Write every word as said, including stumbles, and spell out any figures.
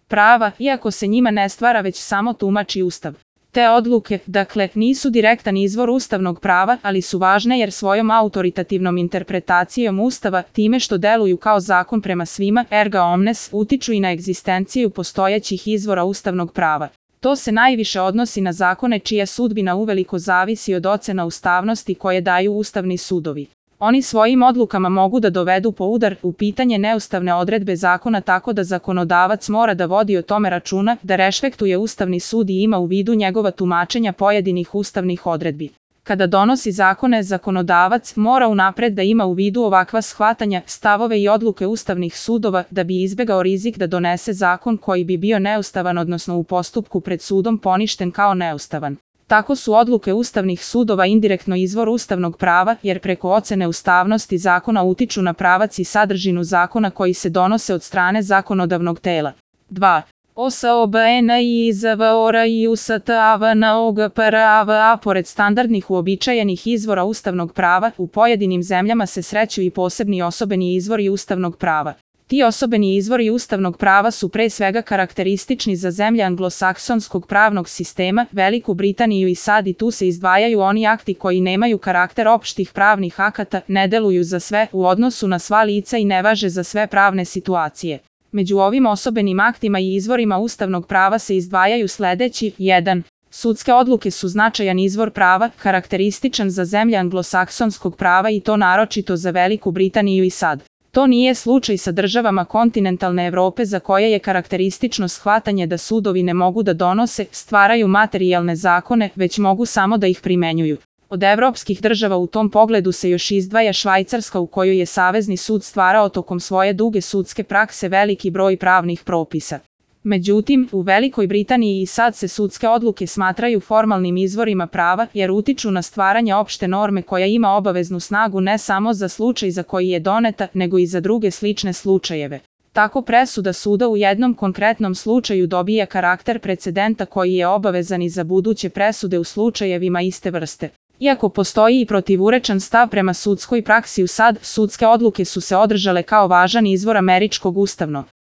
prava, iako se njima ne stvara već samo tumači Ustav. Te odluke, dakle, nisu direktan izvor ustavnog prava, ali su važne jer svojom autoritativnom interpretacijom Ustava, time što deluju kao zakon prema svima, erga omnes, utiču i na egzistenciju postojećih izvora ustavnog prava. To se najviše odnosi na zakone čija sudbina uveliko zavisi od ocena ustavnosti koje daju ustavni sudovi. Oni svojim odlukama mogu da dovedu po udar u pitanje neustavne odredbe zakona tako da zakonodavac mora da vodi o tome računa, da rešpektuje Ustavni sud i ima u vidu njegova tumačenja pojedinih ustavnih odredbi. Kada donosi zakone, zakonodavac mora unapred da ima u vidu ovakva shvatanja, stavove i odluke ustavnih sudova da bi izbegao rizik da donese zakon koji bi bio neustavan, odnosno u postupku pred sudom poništen kao neustavan. Tako su odluke ustavnih sudova indirektno izvor ustavnog prava, jer preko ocene ustavnosti zakona utiču na pravac i sadržinu zakona koji se donose od strane zakonodavnog tela. dva. O S O B N I Z V O R I U S T A V N O G P R A V A. Pored standardnih uobičajenih izvora ustavnog prava, u pojedinim zemljama se sreću i posebni osobeni izvori ustavnog prava. Ti osobeni izvori ustavnog prava su pre svega karakteristični za zemlje anglosaksonskog pravnog sistema, Veliku Britaniju i SAD, i tu se izdvajaju oni akti koji nemaju karakter opštih pravnih akata, ne deluju za sve u odnosu na sva lica i ne važe za sve pravne situacije. Među ovim osobenim aktima i izvorima ustavnog prava se izdvajaju sledeći: jedan. Sudske odluke su značajan izvor prava, karakterističan za zemlje anglosaksonskog prava i to naročito za Veliku Britaniju i SAD. To nije slučaj sa državama kontinentalne Evrope za koje je karakteristično shvatanje da sudovi ne mogu da donose, stvaraju materijalne zakone, već mogu samo da ih primenjuju. Od evropskih država u tom pogledu se još izdvaja Švajcarska, u kojoj je Savezni sud stvarao tokom svoje duge sudske prakse veliki broj pravnih propisa. Međutim, u Velikoj Britaniji i SAD se sudske odluke smatraju formalnim izvorima prava, jer utiču na stvaranje opšte norme koja ima obaveznu snagu ne samo za slučaj za koji je doneta, nego i za druge slične slučajeve. Tako presuda suda u jednom konkretnom slučaju dobija karakter precedenta koji je obavezan i za buduće presude u slučajevima iste vrste. Iako postoji i protivurečan stav prema sudskoj praksi u SAD, sudske odluke su se održale kao važan izvor američkog ustavnog